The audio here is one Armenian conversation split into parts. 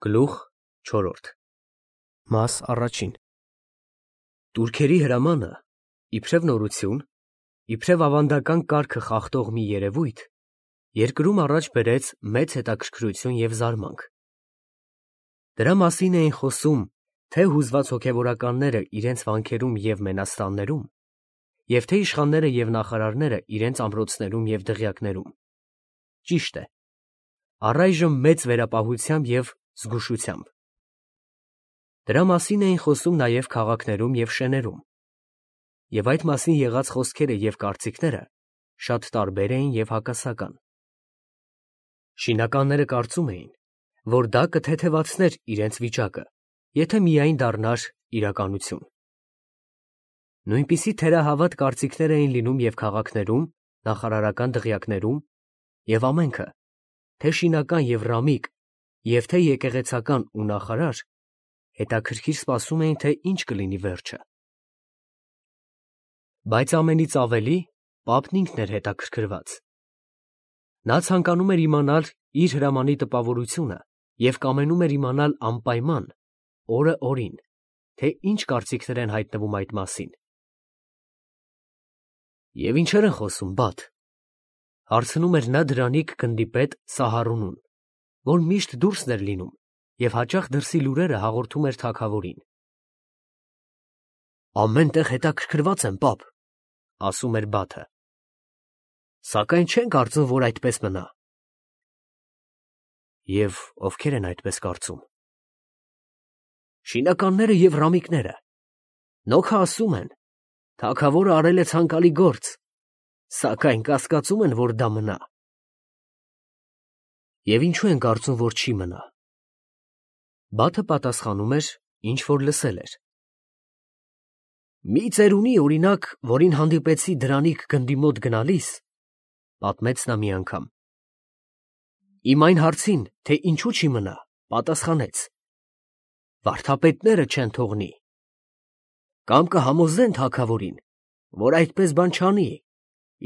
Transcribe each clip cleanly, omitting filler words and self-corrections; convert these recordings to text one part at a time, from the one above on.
Գլուխ 4 Մաս առաջին Տուրքերի հրամանը, իբրև նորություն, իբրև ավանդական կարգը խախտող մի երևույթ, երկրում առաջ բերեց մեծ հետաքրքրություն և զարմանք։ Դրա մասին էին խոսում թե հուզված հոգևորականները իրենց վանքերում և մենաստաններում, և թե իշխանները և նախարարները իրենց ամրոցներում և դղյակներում։ Ճիշտ է, առայժմ մեծ վերապահությամբ և զգուշությամբ։ Դրա մասին էին խոսում նաև քաղաքներում և շեներում, և այդ մասին եղած խոսքերը և կարծիքները շատ տարբեր էին և հակասական։ Շինականները կարծում էին, որ դա կթեթևացներ իրենց վիճակը, եթե միայն դառնար իրականություն։ Նույնպիսի թերահավատ կարծիքներ էին լինում և քաղաքներում, նախարարական դղյակներում, և ամենքը, թե շինական և ռամիկ, և թե եկեղեցական ու նախարար, հետաքրքիր սպասում էին, թե ինչ կլինի վերջը։ Բայց ամենից ավելի պապն ինքն էր հետաքրքրված։ Նա ցանկանում էր իմանալ իր հրամանի տպավորությունը և կամենում էր իմանալ անպայման, օրը օրին, թե ինչ կարծիքներ են հայտնվում այդ մասին։ Եվ ինչեր են խոսում, բադ, հարցնում էր նա դրանիկ գնդի պետ Սահարունուն, որ միշտ դուրսն էր լինում և հաճախ դրսի լուրերը հաղորդում էր թագավորին։ Ամեն տեղ հետաքրքրված եմ, պապ, ասում էր բաթը, սակայն չեն կարծում, որ այդպես մնա։ Եվ ովքեր են այդպես կարծում։ Շինականները և ռամիկները, նոքա ասում են, թագավորը արել է ցանկալի գործ, սակայն կասկածում են, որ դա մնա։ Եվ ինչու են կարծում, որ չի մնա։ Բաթը պատասխանում էր, ինչ որ լսել էր։ Մի ծերունի, օրինակ, որին հանդիպեցի դրանիկ գնդի մոտ գնալիս, պատմեց նա մի անգամ, իմ այն հարցին, թե ինչու չի մնա, պատասխանեց. վարդապետները չեն թողնի, կամ կհամոզեն թագավորին, որ այդպես բան չանի,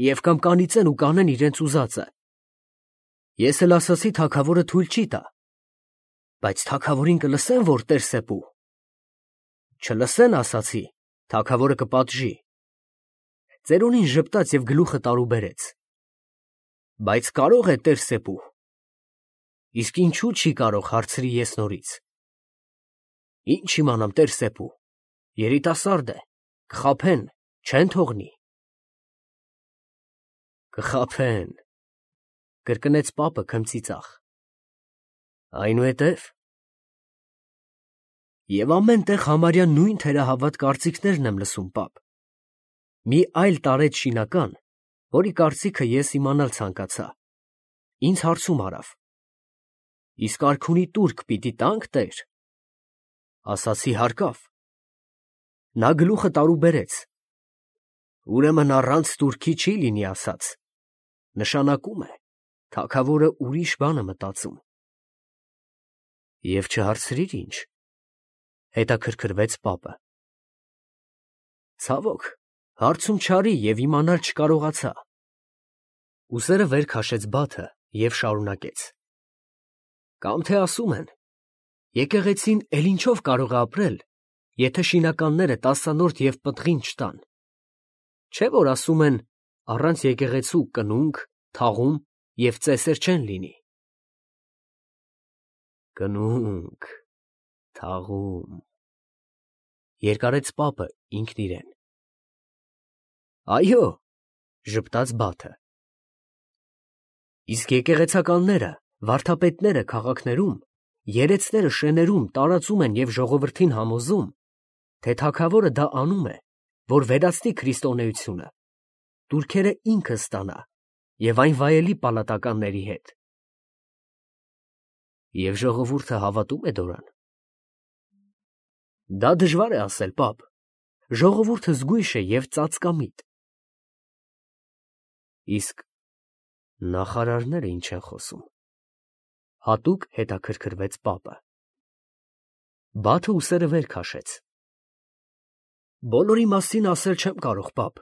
և կամ կանիծեն ու կանեն իրենց ուզածը։ Ես էլ ասացի թագավորը թույլ չի տա, բայց թագավորին կլսեն, որ տերսեպու։ Չլսեն, ասացի, թագավորը կպատժի։ Ծերունին ժպտաց և գլուխը տարուբերեց. բայց կարո՞ղ է տերսեպու։ Իսկ ինչու չի կարող, հարցրի ես նորից։ Ինչ իմանամ, տերսեպու, երիտասարդ է, կխաբեն, չեն թողնի։ Կխաբեն, կրկնեց պապը քմծիծաղ։ Այնուհետև։ Եվ ամեն տեղ համարյա նույն թերահավատ կարծիքներն եմ լսում, պապ։ Մի այլ տարեց շինական, որի կարծիքը ես իմանալ ցանկացա, ինձ հարցում արավ. իսկ արքունի տուրք պիտի տա՞նք, տեր։ Ասացի հարկավ։ Նա գլուխը տարուբերեց. ուրեմն առանց տուրքի չի լինի ասած, նշանակում է, թագավորը ուրիշ բան է մտածում։ Եվ չհարցրիր ինչ, հետաքրքրվեց պապը։ Ցավոք, հարցում չարի և իմանալ չկարողացա։ Ուսերը վեր քաշեց բաթը և շարունակեց. կամ թե ասում են, եկեղեցին էլ ինչով կարող է ապրել, եթե շինականները տասանորդ և պտղին չտան։ Չէ՞ որ ասում են, առանց եկեղեցու կնունք, թաղում և ծեսեր չեն լինի։ Կնունք, թաղում, երկարեց պապը ինքն իրեն։ Այո, ժպտաց բաթը։ Իսկ եկեղեցականները, վարդապետները քաղաքներում, երեցները շեներում տարածում են և ժողովրդին համոզում, թե թագավորը դա անում է, որ վերացնի քրիստոնեությունը, տուրքերը ինքը ստանա և այն վայելի պալատականների հետ։ Եվ ժողովուրդը հավատում է դրան։ Դա դժվար է ասել, պապ, ժողովուրդը զգույշ է և ծածկամիտ։ Իսկ նախարարները ինչ են խոսում, հատուկ հետաքրքրվեց պապը։ Բաթը ուսերը վեր քաշեց։ Բոլորի մասին ասել չեմ կարող, պապ։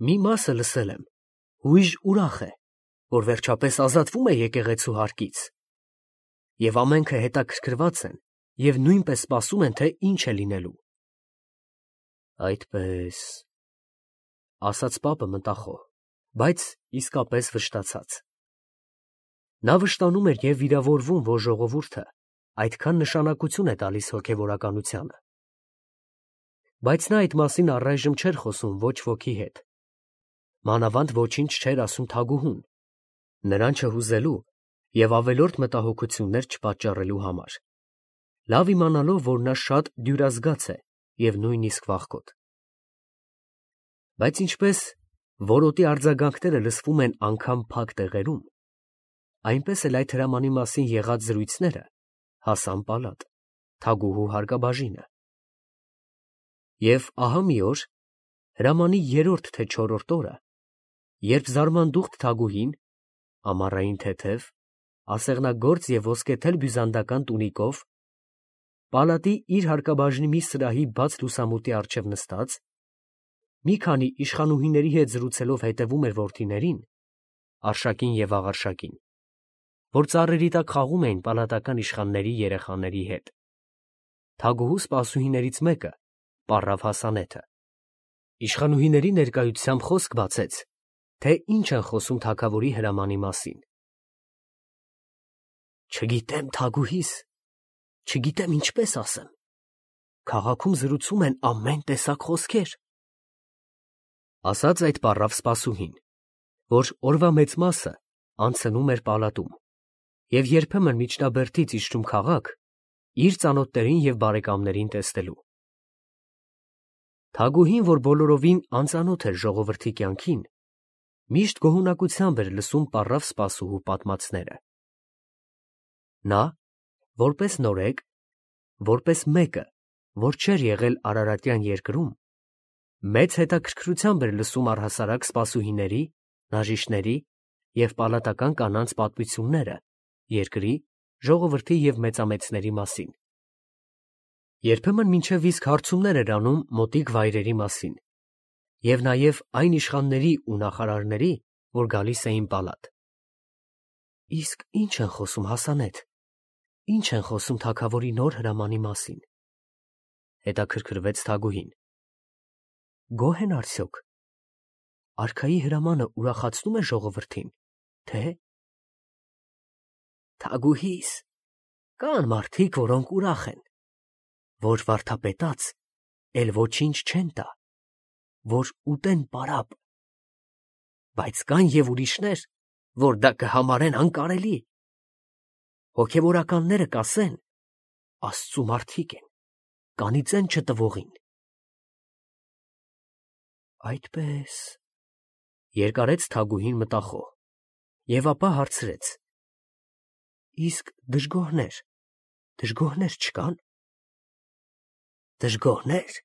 Մի մասը լսել եմ, հույժ ուրախ է, որ վերջապես ազատվում է եկեղեցու հարկից։ և ամենքը հետաքրքրված են և նույնպես սպասում են, թե ինչ է լինելու։ Այդպես, ասաց պապը մտախոհ, բայց իսկապես վշտացած։ Նա վշտանում էր և վիրավորվում, որ ժողովուրդը այդքան նշանակություն է տալիս հոգևորականությանը։ Բայց նա այդ մասին առայժմ չէր խոսում ոչ ոքի հետ, մանավանդ ոչինչ չէր ասում Թագուհուն, նրան չհուզելու և ավելորդ մտահոգություններ չպատճառելու համար, լավ իմանալով, որ նա շատ դյուրազգաց է և նույնիսկ վախկոտ։ Բայց ինչպես որոտի արձագանքները լսվում են անգամ փակ տեղերում, այնպես էլ այդ հրամանի մասին եղած զրույցները հասան պալատ, Թագուհու հարկաբաժինը։ Եվ ահա մի օր, հրամանի երրորդ թե չորրորդ օրը, երբ զարմանդուխտ Թագուհին, ամառային թեթև, ասեղնագործ և ոսկեթել բյուզանդական տունիկով, պալատի իր հարկաբաժնի մի սրահի բաց լուսամուտի առջև նստած, մի քանի իշխանուհիների հետ զրուցելով հետևում էր որդիներին, Արշակին և Աղարշակին, որ ծառերի տակ խաղում էին պալատական իշխանների երեխաների հետ, Թագուհու սպասուհիներից մեկը, պառավ Հասանեթը, իշխանուհիների ներկայությամբ խոսք բացեց, թե ինչ են խոսում թագավորի հրամանի մասին։ Չգիտեմ, Թագուհիս, չգիտեմ ինչպես ասեմ, քաղաքում զրուցում են ամեն տեսակ խոսքեր, ասաց այդ պառավ սպասուհին, որ օրվա մեծ մասը անցնում էր պալատում և երբեմն միջնաբերդից իջնում քաղաք իր ծանոթներին և բարեկամներին տեսնելու։ Թագուհին, որ բոլորովին անծանոթ էր ժողովրդի կյանքին, միշտ գոհունակությամբ էր լսում պառավ սպասուհու պատմածները։ Նա, որպես նորեկ, որպես մեկը, որ չէր եղել Արարատյան երկրում, մեծ հետաքրքրությամբ էր լսում առհասարակ սպասուհիների, բժիշկների և պալատական կանանց պատմությունները երկրի, ժողովրդի և մեծամեծների մասին։ Երբեմն մինչև իսկ հարցումներ էր անում մոտիկ վայրերի մասին և նաև այն իշխանների ու նախարարների, որ գալիս էին պալատ։ Իսկ ի՞նչ են խոսում, Հասանեթ, ի՞նչ են խոսում թագավորի նոր հրամանի մասին, հետաքրքրվեց Թագուհին։ Գոհ են արդյոք։ Արքայի հրամանը ուրախացնում է ժողովրդին, թե՞։ Թագուհիս, կան մարդիկ, որոնք ուրախ են, որ վարդապետած էլ ոչինչ չեն տա, որ ուտեն պարապ, բայց կան և ուրիշներ, որ դա կհամարեն անկարելի։ Հոգևորականները կասեն. Աստծու մարդիկ են, կանիծեն չտվողին։ Այդպես, երկարեց Թագուհին մտախոհ և ապա հարցրեց. Իսկ դժգոհներ չկա՞ն։ Դժգոհներ,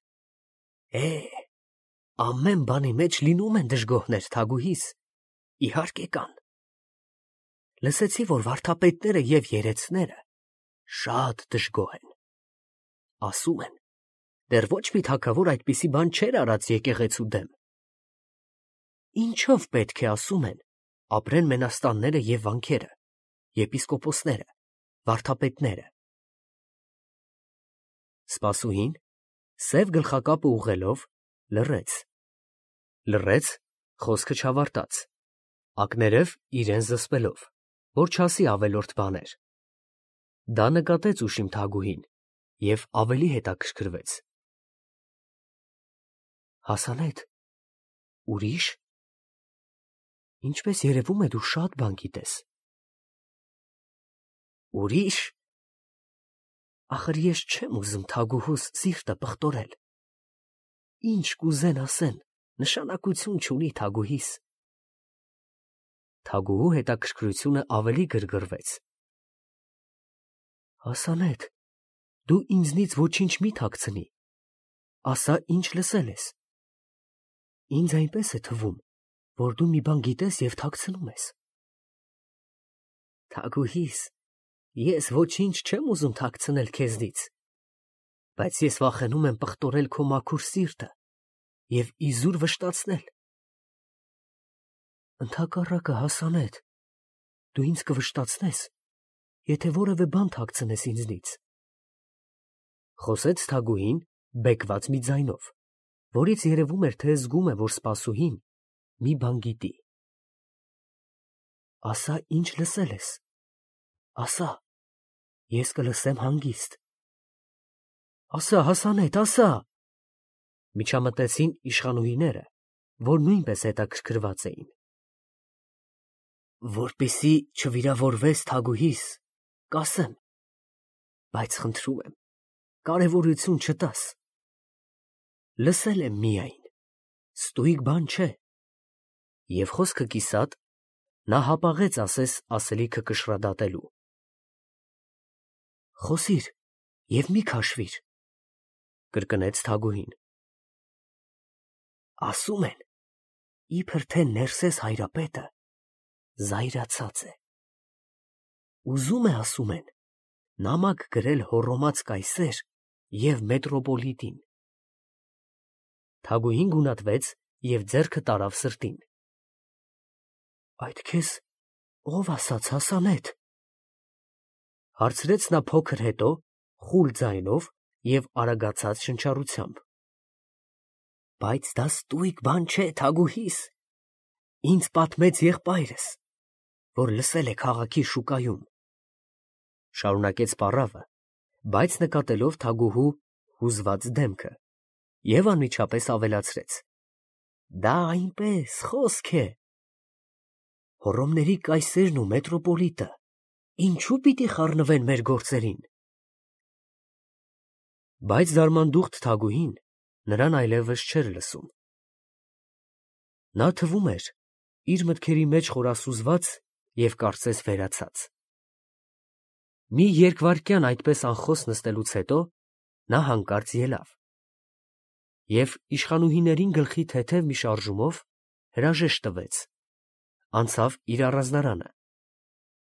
ամեն բանի մեջ լինում են դժգոհներ, Թագուհիս, իհարկե կան։ Լսեցի, որ վարդապետները և երեցները շատ դժգոհ են։ Ասում են, դեռ ոչ մի թագավոր այդպիսի բան չէր արած եկեղեցու դեմ։ Ինչո՞վ պետք է, ասում են, ապրեն մենաստանները և վանքերը, եպիսկոպոսները, վարդապետները։ Սպասուհին, սև գլխակապը ուղղելով, լռեց, խոսքը չավարտաց, ակներև իրան զսպելով, որ չասի ավելորդ բաներ։ Դա նկատեց ուշիմ Թագուհին և ավելի հետաքրքրվեց։ Հասանեթ, ուրիշ։ Ինչպես երևում է, դու շատ բան գիտես։ Ուրիշ։ Ախր ես չեմ ուզում Թագուհուս սիրտը պղտորել։ Ինչ կուզեն ասեն, նշանակություն չունի, Թագուհիս։ Թագուհու հետաքրքրությունը ավելի գրգռվեց։ Հասանեթ, դու ինձնից ոչինչ մի թաքցնի, ասա, ինչ լսել ես։ Ինձ այնպես է թվում, որ դու մի բան գիտես և թաքցնում ես։ Թագուհիս, ես ոչինչ չեմ ուզում թաքցնել քեզնից, բայց ես վախենում եմ պղտորել քո մաքուր սիրտը և իզուր վշտացնել։ Ընդհակառակը, Հասանեթ, դու ինձ կվշտացնես եթե որևէ բան թաքցնես ինձնից։ Խոսեց Թագուհին բեկված մի ձայնով, որից երևում էր, թե զգում է, որ սպասուհին մի բան գիտի։ Ասա, ինչ լսել ես։ Ասա, ես կլսեմ հանգիստ։ Ասա, Հասանեթ, ասա։ Միջամտեցին իշխանուհիները, որ նույնպես հետաքրքրված էին։ Որպեսզի չվիրավորվես Թագուհիս, կասեմ, բայց խնդրում եմ, կարևորություն չտաս։ Լսել եմ միայն, ստույգ բան չէ։ Եվ խոսքը կիսատ, նա հապաղեց ասես ասելիքը կշռադատելու։ Խոսիր և մի քաշվիր, կրկնեց Թագուհին։ Ասում են, իբր թե Ներսես հայրապետը զայրացած է։ Ուզում է, ասում են, նամակ գրել հոռոմած կայսեր և մետրոպոլիտին։ Թագուհին գունատվեց և ձեռքը տարավ սրտին։ Այդ քեզ ով ասաց, Հասանեթ, հարցրեց նա փոքր հետո խուլ ձայնով և արագացած շնչառությամբ։ Բայց դա ստույգ բան չէ, Թագուհիս, ինձ պատմեց եղբայրս, որ լսել է քաղաքի շուկայում, շարունակեց պառավը, բայց նկատելով Թագուհու հուզված դեմքը, և անմիջապես ավելացրեց. Դա այնպես խոսք է։ Հոռոմների կայսերն ու մետրոպոլիտը ինչու պիտի խառնվեն մեր գործերին։ Բայց զարմանդուխտ Թագուհին նրան այլևս չէր լսում։ Նա թվում էր իր մտքերի մեջ խորասուզված և կարծես վերացած։ Մի երկվայրկյան այդպես անխոս նստելուց հետո նա հանկարծ ելավ և իշխանուհիներին գլխի թեթև մի շարժումով հրաժեշտ տվեց, անցավ իր առանձնարանը,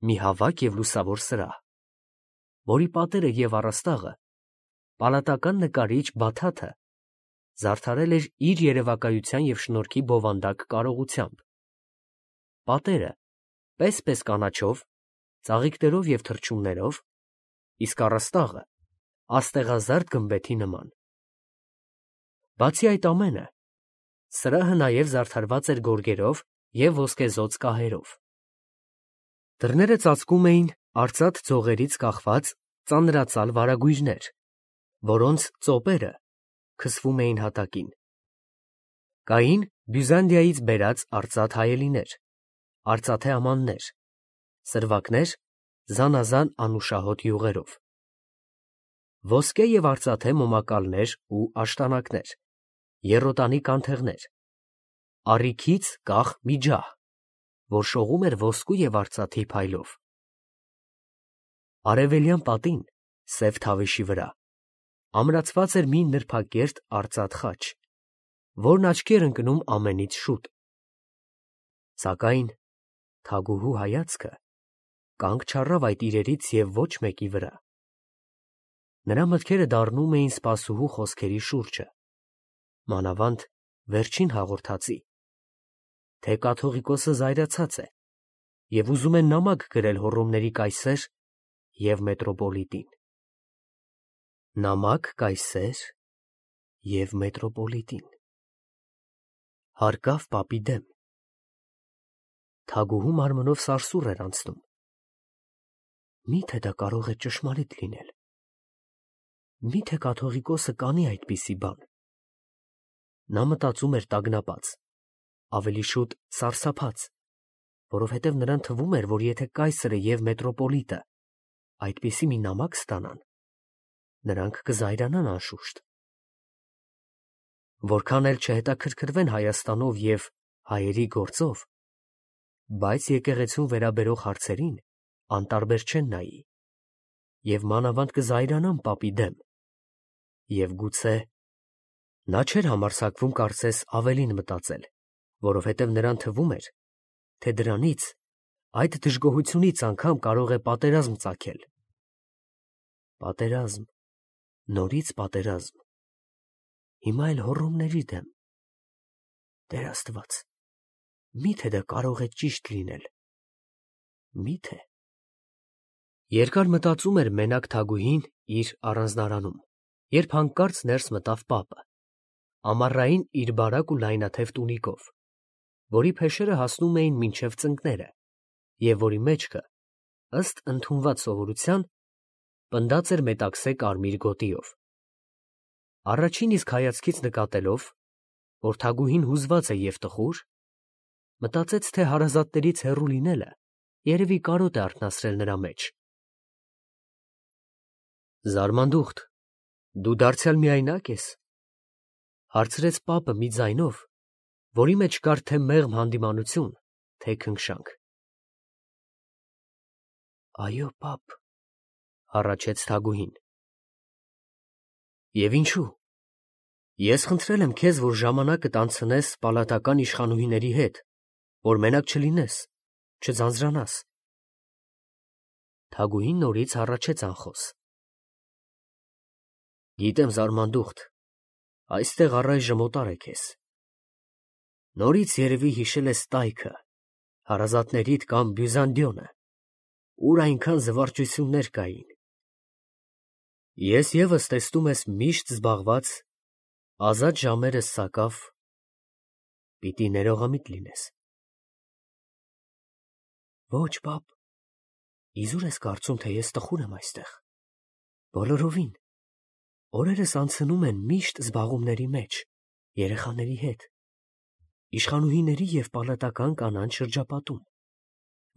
մի հավաք և լուսավոր սրահ, որի պատերը և առաստաղը պալատական նկարիչ Բաթաթը զարդարել էր իր երևակայության և շնորհքի բովանդակ կարողությամբ. պատերը պես կանաչով, ծաղիկներով և թռչուններով, իսկ առաստաղը աստեղազարդ գմբեթի նման։ Բացի այդ ամենը, սրահը նաև զարդարված էր գորգերով և ոսկեզօծ կահերով։ Դռները ծածկում էին արծաթ ձողերից կախված ծանրածալ վարագույրներ, որոնց ծոպերը քսվում էին հատակին։ Կային Բյուզանդիայից բերած արծաթ հայելիներ, արծաթե ամաններ, սրվակներ զանազան անուշահոտ յուղերով, ոսկե և արծաթե մոմակալներ ու աշտանակներ, եռոտանի կանթեղներ, առիքից կախ մի ջահ, որ շողում էր ոսկու և արծաթի փայլով։ Արևելյան պատին, սև թավեշի վրա, ամրացված էր մի նրբակերտ արծաթ խաչ, որն աչքի էր ընկնում ամենից շուտ։ Սակայն Թագուհու հայացքը կանգ չառավ այդ իրերից և ոչ մեկի վրա։ Նրա մտքերը դառնում էին սպասուհու խոսքերի շուրջը, մանավանդ վերջին հաղորդածի, թե կաթողիկոսը զայրացած է և ուզում է նամակ գրել հոռոմների կայսեր և մետրոպոլիտին։ Նամակ կայսեր և մետրոպոլիտին։ Հարկավ պապի դեմ։ Թագուհու մարմնով սարսուռ էր անցնում։ Մի՞թե դա կարող է ճշմարիտ լինել։ Մի՞թե կաթողիկոսը կանի այդպիսի բան։ Նա մտածում էր տագնապած, ավելի շուտ սարսափած, որովհետև նրան թվում էր, որ եթե կայսրը և մետրոպոլիտը այդպիսի մի նամակ ստանան, նրանք կզայրանան անշուշտ։ Որքան էլ չհետաքրքրվեն Հայաստանով և հայերի գործով, բայց եկեղեցուն վերաբերող հարցերին անտարբեր չեն նայի և մանավանդ կզայրանան պապի դեմ, և գուցե… Նա չէր համարձակվում կարծես ավելին մտածել, որովհետև նրան թվում էր, թե դրանից, այդ դժգոհությունից անգամ կարող է պատերազմ ծագել։ Պատերազմ, նորից պատերազմ, հիմա էլ հոռոմների դեմ։ Տեր Աստված, մի՞թե դա կարող է ճիշտ լինել։ Մի՞թե… Երկար մտածում էր մենակ Թագուհին իր առանձնարանում, երբ հանկարծ ներս մտավ պապը, ամառային իր բարակ ու լայնաթև տունիկով, որի փեշերը հասնում էին մինչև ծնկները, և որի մեջքը, ըստ ընդունված սովորության, պնդած էր մետաքսե կարմիր գոտիով։ Առաջին իսկ հայացքից նկատելով, որ Թագուհին հուզված է և տխուր, մտածեց, թե հարազատներից հեռու լինելը երևի կարոտ է արթնացրել նրա մեջ։ «Զարմանդուխտ, դու դարձյալ միայնակ ես», հարցրեց պապը մի ձայնով, որի մեջ կար թե մեղմ հանդիմանություն, թե քնքշանք։ «Այո, պապ», հառաչեց Թագուհին։ «Եվ ինչու։ Ես խնդրել եմ քեզ, որ ժամանակդ անցնես պալատական իշխանուհիների հետ, որ մենակ չլինես, չձանձրանաս»։ Թագուհին նորից հառաչեց անխոս։ «Գիտեմ, Զարմանդուխտ, այստեղ առայժմ օտար է քեզ։ Նորից երևի հիշել ես տայքը, հարազատներիդ կամ Բյուզանդիոնը, ուր այնքան զվարճություններ կային։ Ես ևս տեսնում ես միշտ զբաղված, ազատ ժամերս սակավ պիտի ներողամիտ լինես»։ «Ոչ, պապ, իզուր ես կարծում, թե ես տխուր եմ այստեղ։ Բոլորովին։ Օրերս անցնում են միշտ զբաղումների մեջ, երեխաների հետ, իշխանուհիների և պալատական կանանց շրջապատում,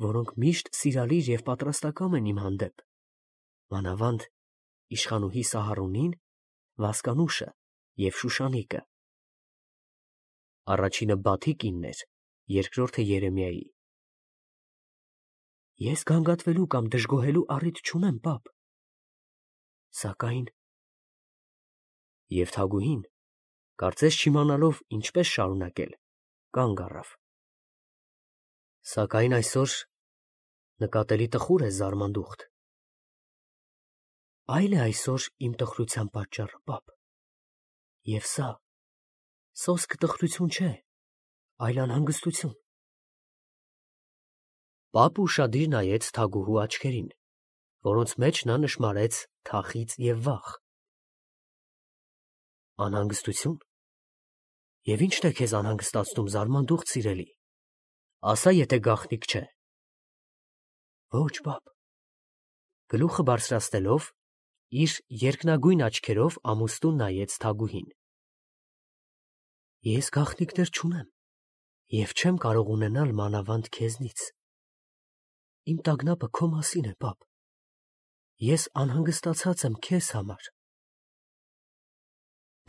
որոնք միշտ սիրալիր և պատրաստակամ են իմ հանդեպ, մանավանդ իշխանուհի Սահարունին, Վասկանուշը և Շուշանիկը։ Առաջինը Բաթի կինն էր, երկրորդը Երեմիայի։ Ես գանգատվելու կամ դժգոհելու առիթ չունեմ, պապ։ Սակայն… Եվ Թագուհին, կարծես չիմանալով ինչպես շարունակել, կանգ առավ։ Սակայն այսօր նկատելի տխուր ես, Զարմանդուխտ։ Այլ է այսօր իմ տխրության պատճառը, պապ։ Եվ սա սոսկ տխրություն չէ, այլ անհանգստություն։ Պապը ուշադիր նայեց Թագուհու աչքերին, որոնց մեջ նա նշմարեց թախիծ և վախ։ Անհանգստություն։ Եվ ի՞նչն է քեզ անհանգստացնում, Զարմանդուխտ սիրելի, ասա, եթե գաղտնիք չէ։ Ոչ, պապ։ Գլուխը բարձրացնելով, իր երկնագույն աչքերով ամուստուն նայեց Թագուհին։ Ես գաղտնիքներ չունեմ և չեմ կարող ունենալ մանավանդ քեզնից։ Իմ տագնապը քո մասին է, պապ։ Ես անհանգստացած եմ քեզ համար։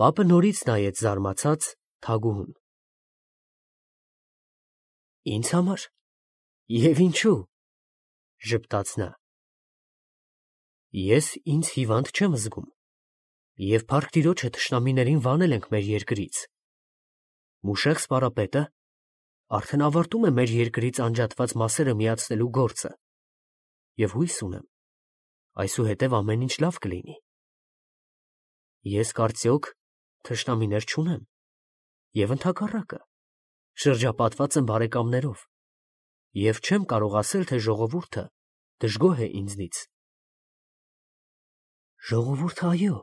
Պապը նորից նայեց զարմացած Թագուհուն։ Ինձ համար։ Եվ ինչու՞, ժպտաց նա։ Ես ինձ հիվանդ չեմ զգում, և փառք Տիրոջը թշնամիներին վանել ենք մեր երկրից։ Մուշեղ սպարապետը արդեն ավարտում է մեր երկրից անջատված մասերը միացնելու գործը, և հույս ունեմ, այսուհետև ամեն ինչ լավ կլինի։ Ես կարծիոք թշնամիներ չունեմ, և ընդհակառակը, շրջապատված եմ բարեկամներով, և չեմ կարող ասել, թե ժողովուրդը դժգոհ է ինձնից։ Ժողովուրդը, այո,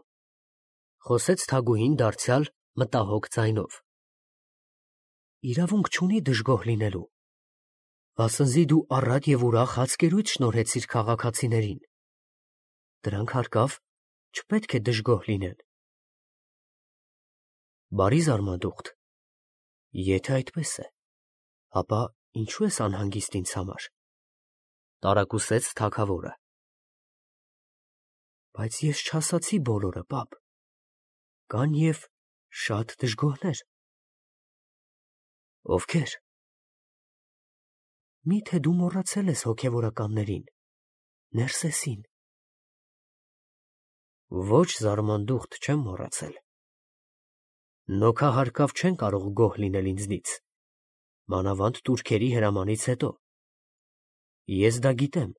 խոսեց Թագուհին դարձյալ մտահոգ ձայնով, իրավունք չունի դժգոհ լինելու, վասնզի դու առատ և ուրախ հացկերույթ շնորհեցիր քաղաքացիներին։ Դրանք հարկավ չպետք է դժգոհ լինեն։ Բարի Զարմանդուխտ, եթե այդպես է, ապա ինչու ես անհանգիստ ինձ համար, տարակուսեց թագավորը։ Բայց ես չասացի բոլորը, պապ, կան և շատ դժգոհներ։ Ովքե՞ր։ Մի՞թե դու մոռացել ես հոգևորականներին, Ներսեսին։ Ոչ, Զարմանդուխտ, չեմ մոռացել։ Նոքահարկավ չեն կարող գոհ լինել ինձնից, մանավանդ տուրքերի հրամանից հետո։ Ես դա գիտեմ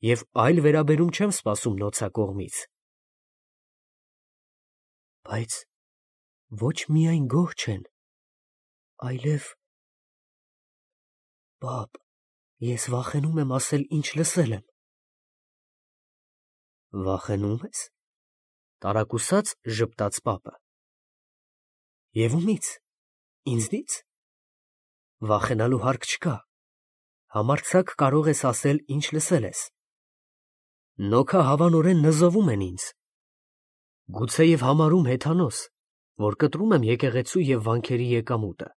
և այլ վերաբերում չեմ սպասում նոցա կողմից։ Բայց ոչ միայն գոհ չեն, այլև… Պապ, ես վախենում եմ ասել, ինչ լսել եմ։ Վախենում ես։ Տարակուսած ժպտաց պապը։ Եվ ումից։ Ինձնից։ Վախենալու հարկ չկա։ Համարձակ կարող ես ասել, ինչ լսել ես։ Նոքա հավանորեն նզովում են ինձ։ Գուցեև համարում հեթանոս, որ կտրում եմ եկեղեցու և վանքերի եկամուտը։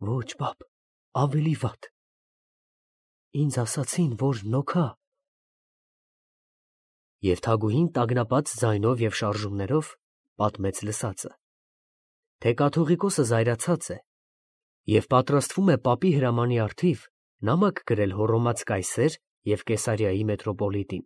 Ոչ, պապ, ավելի վատ։ Ինձ ասացին, որ նոքա։ Եվ թագուհին տագնապած ձայնով և շարժումներով պատմեց լսածը, թե կաթողիկոսը զայրացած է և պատրաստվում է պապի հրամանի առթիվ նամակ գրել Հոռոմած կայսեր և Կեսարիայի մետրոպոլիտին,